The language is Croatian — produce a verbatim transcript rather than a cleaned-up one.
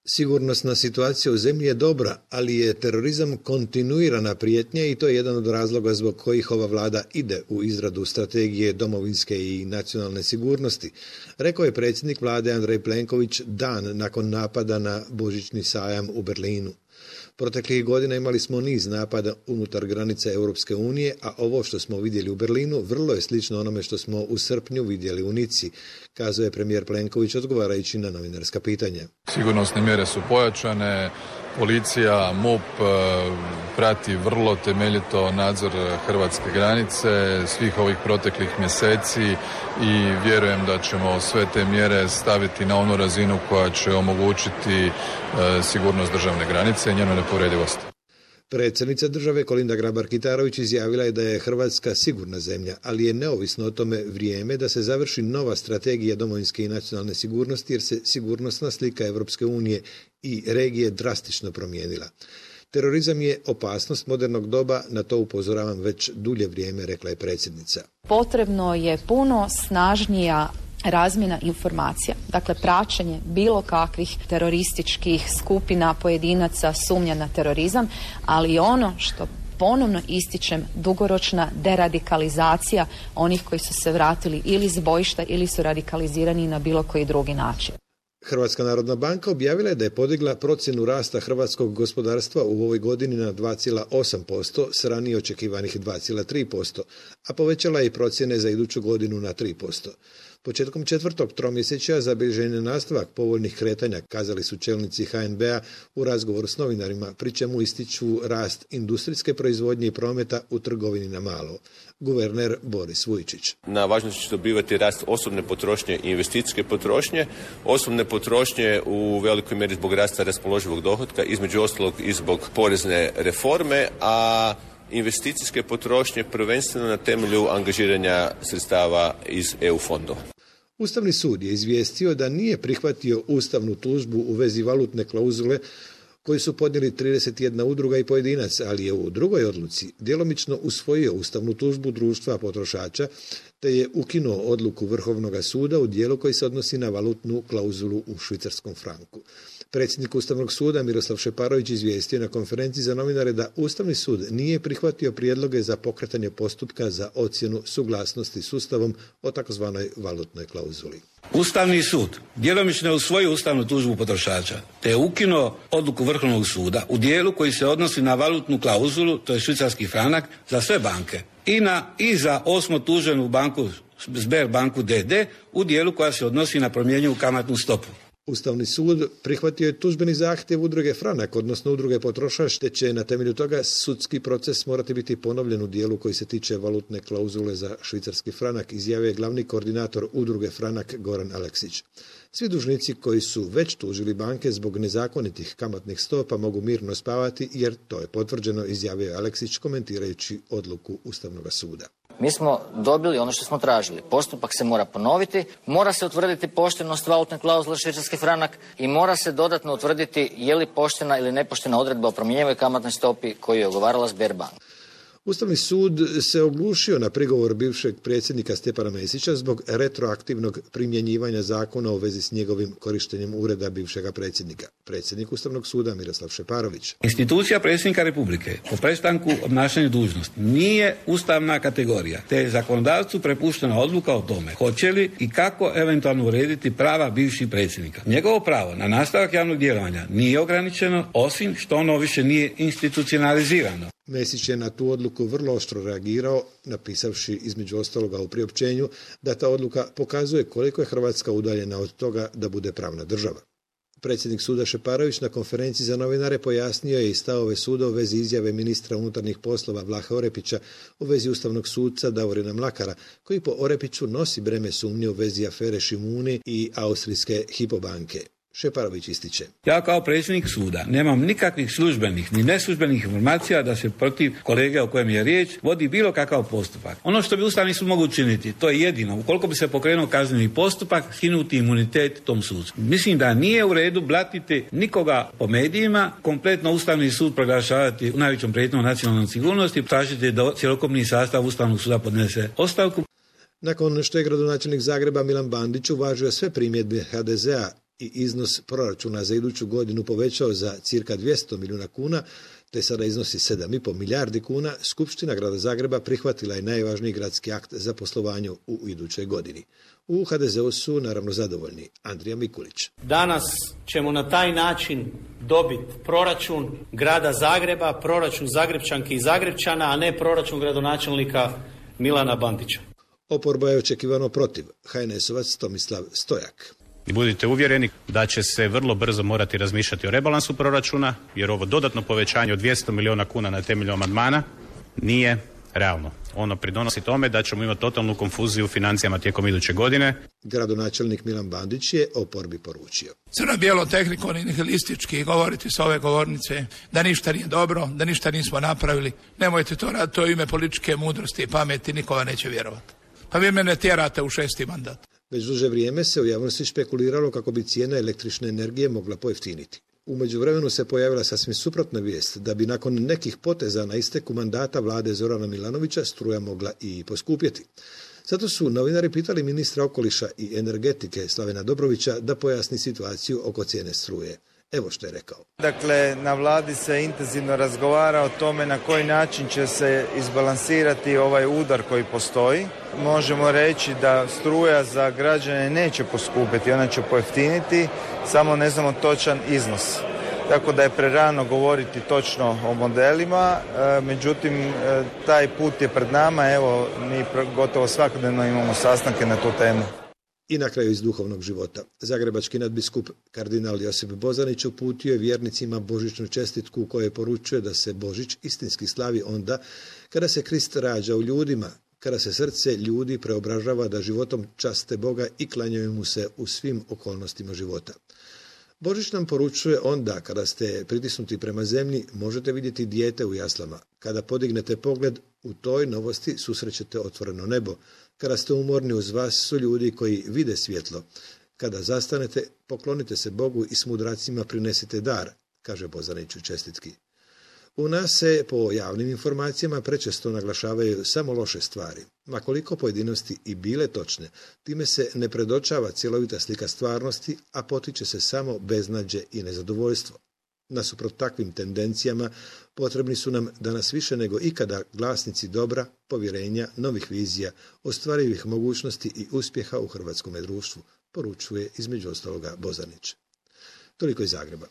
Sigurnosna situacija u zemlji je dobra, ali je terorizam kontinuirana prijetnja i to je jedan od razloga zbog kojih ova vlada ide u izradu strategije domovinske i nacionalne sigurnosti, rekao je predsjednik vlade Andrej Plenković dan nakon napada na božićni sajam u Berlinu. Proteklih godina imali smo niz napada unutar granica Europske unije, a ovo što smo vidjeli u Berlinu vrlo je slično onome što smo u srpnju vidjeli u Nici, kazao je premijer Plenković odgovarajući na novinarska pitanja. Sigurnosne mjere su pojačane, policija, M U P prati vrlo temeljito nadzor hrvatske granice svih ovih proteklih mjeseci i vjerujem da ćemo sve te mjere staviti na onu razinu koja će omogućiti sigurnost državne granice i njenu nepovredivost. Predsjednica države Kolinda Grabar-Kitarović izjavila je da je Hrvatska sigurna zemlja, ali je neovisno o tome vrijeme da se završi nova strategija domovinske i nacionalne sigurnosti jer se sigurnosna slika Europske unije i regije drastično promijenila. Terorizam je opasnost modernog doba, na to upozoravam već dulje vrijeme, rekla je predsjednica. Potrebno je puno snažnija razmjena informacija, dakle praćenje bilo kakvih terorističkih skupina, pojedinaca, sumnja na terorizam, ali i ono što ponovno ističem, dugoročna deradikalizacija onih koji su se vratili ili s bojišta ili su radikalizirani na bilo koji drugi način. Hrvatska narodna banka objavila je da je podigla procjenu rasta hrvatskog gospodarstva u ovoj godini na dva zarez osam posto s ranije očekivanih dva zarez tri posto, a povećala je i procjene za iduću godinu na tri posto. Početkom četvrtog tromjesečja zabilježen je nastavak povoljnih kretanja, kazali su čelnici H N B-a u razgovoru s novinarima, pri čemu ističu rast industrijske proizvodnje i prometa u trgovini na malo. Guverner Boris Vujčić. Na važnosti će dobivati rast osobne potrošnje i investicijske potrošnje. Osobne potrošnje u velikoj mjeri zbog rasta raspoloživog dohotka, između ostalog i zbog porezne reforme, a investicijske potrošnje prvenstveno na temelju angažiranja sredstava iz E U fondova. Ustavni sud je izvijestio da nije prihvatio ustavnu tužbu u vezi valutne klauzule koju su podnijeli trideset jedna udruga i pojedinac, ali je u drugoj odluci djelomično usvojio ustavnu tužbu društva potrošača te je ukinuo odluku Vrhovnog suda u dijelu koji se odnosi na valutnu klauzulu u švicarskom franku. Predsjednik Ustavnog suda Miroslav Šeparović izvijestio na konferenciji za novinare da Ustavni sud nije prihvatio prijedloge za pokretanje postupka za ocjenu suglasnosti s Ustavom o takozvanoj valutnoj klauzuli. Ustavni sud djelomično je usvojio ustavnu tužbu potrošača te je ukinuo odluku Vrhovnog suda u dijelu koji se odnosi na valutnu klauzulu, to je švicarski franak, za sve banke i, na, i za osmo tuženu banku Sberbanku D D u dijelu koja se odnosi na promjenjivu kamatnu stopu. Ustavni sud prihvatio je tužbeni zahtjev udruge Franak, odnosno udruge Potrošač, te će na temelju toga sudski proces morati biti ponovljen u dijelu koji se tiče valutne klauzule za švicarski franak, izjavio je glavni koordinator udruge Franak Goran Aleksić. Svi dužnici koji su već tužili banke zbog nezakonitih kamatnih stopa mogu mirno spavati jer to je potvrđeno, izjavio je Aleksić komentirajući odluku Ustavnog suda. Mi smo dobili ono što smo tražili. Postupak se mora ponoviti, mora se utvrditi poštenost valutne klauzule švicarski franak i mora se dodatno utvrditi je li poštena ili nepoštena odredba o promjenjivoj kamatnoj stopi koju je ugovarala Sberbank. Ustavni sud se oglušio na prigovor bivšeg predsjednika Stjepana Mesića zbog retroaktivnog primjenjivanja zakona u vezi s njegovim korištenjem ureda bivšega predsjednika. Predsjednik Ustavnog suda Miroslav Šeparović. Institucija predsjednika Republike po prestanku obnašanja dužnosti nije ustavna kategorija, te je zakonodavcu prepuštena odluka o tome hoće li i kako eventualno urediti prava bivših predsjednika. Njegovo pravo na nastavak javnog djelovanja nije ograničeno, osim što ono više nije institucionalizirano. Mesić je na tu odluku vrlo oštro reagirao, napisavši između ostaloga u priopćenju da ta odluka pokazuje koliko je Hrvatska udaljena od toga da bude pravna država. Predsjednik suda Šeparović na konferenciji za novinare pojasnio je i stavove suda u vezi izjave ministra unutarnjih poslova Vlahe Orepića u vezi ustavnog suca Davorina Mlakara, koji po Orepiću nosi breme sumnje u vezi afere Šimuni i austrijske Hypo banke. Šeparović ističe. Ja kao predsjednik suda nemam nikakvih službenih ni neslužbenih informacija da se protiv kolege o kojem je riječ vodi bilo kakav postupak. Ono što bi Ustavni sud mogu učiniti, to je jedino, ukoliko bi se pokrenuo kazneni postupak, skinuti imunitet tom sucu. Mislim da nije u redu blatiti nikoga po medijima, kompletno Ustavni sud proglašavati u najvećom prijetnjom nacionalnoj sigurnosti, tražiti da cjelokupni sastav Ustavnog suda podnese ostavku. Nakon što je gradonačelnik Zagreba Milan Bandić uvažio sve primjedbe H D Z-a i iznos proračuna za iduću godinu povećao za cirka dvjesto milijuna kuna, te sada iznosi sedam i pol milijardi kuna, Skupština Grada Zagreba prihvatila je najvažniji gradski akt za poslovanje u idućoj godini. U ha de zeu su naravno zadovoljni. Andrija Mikulić. Danas ćemo na taj način dobiti proračun Grada Zagreba, proračun Zagrepčanki i Zagrepčana, a ne proračun gradonačelnika Milana Bandića. Oporba je očekivano protiv. ha en esovac Tomislav Stojak. I budite uvjereni da će se vrlo brzo morati razmišljati o rebalansu proračuna, jer ovo dodatno povećanje od dvjesto milijuna kuna na temelju amandmana nije realno. Ono pridonosi tome da ćemo imati totalnu konfuziju u financijama tijekom iduće godine. Gradonačelnik Milan Bandić je oporbi poručio. Crno-bijelo tehnikom i nihilistički govoriti s ove govornice da ništa nije dobro, da ništa nismo napravili. Nemojte to raditi, to je ime političke mudrosti i pameti, nikoga neće vjerovati. Pa vi mene tjerate u šesti mandat. Već duže vrijeme se u javnosti špekuliralo kako bi cijena električne energije mogla pojeftiniti. U međuvremenu se pojavila sasvim suprotna vijest da bi nakon nekih poteza na isteku mandata vlade Zorana Milanovića struja mogla i poskupjeti. Zato su novinari pitali ministra okoliša i energetike Slavena Dobrovića da pojasni situaciju oko cijene struje. Evo što je rekao. Dakle, na vladi se intenzivno razgovara o tome na koji način će se izbalansirati ovaj udar koji postoji. Možemo reći da struja za građane neće poskupiti, ona će pojeftiniti, samo ne znamo točan iznos. Tako da je prerano govoriti točno o modelima, e, međutim e, taj put je pred nama, evo mi gotovo svakodnevno imamo sastanke na tu temu. I na kraju iz duhovnog života. Zagrebački nadbiskup kardinal Josip Bozanić uputio je vjernicima božićnu čestitku u kojoj poručuje da se Božić istinski slavi onda kada se Krist rađa u ljudima, kada se srce ljudi preobražava da životom časte Boga i klanjaju mu se u svim okolnostima života. Božić nam poručuje onda kada ste pritisnuti prema zemlji, možete vidjeti dijete u jaslama. Kada podignete pogled, u toj novosti susrećete otvoreno nebo. Kada ste umorni, uz vas su ljudi koji vide svjetlo. Kada zastanete, poklonite se Bogu i s mudracima prinesite dar, kaže Bozanić u čestitki. U nas se, po javnim informacijama, prečesto naglašavaju samo loše stvari. Ma koliko pojedinosti i bile točne, time se ne predočava cjelovita slika stvarnosti, a potiče se samo beznađe i nezadovoljstvo. Nasuprot takvim tendencijama, potrebni su nam danas više nego ikada glasnici dobra, povjerenja, novih vizija, ostvarivih mogućnosti i uspjeha u hrvatskom društvu, poručuje između ostaloga Bozanić. Toliko iz Zagreba.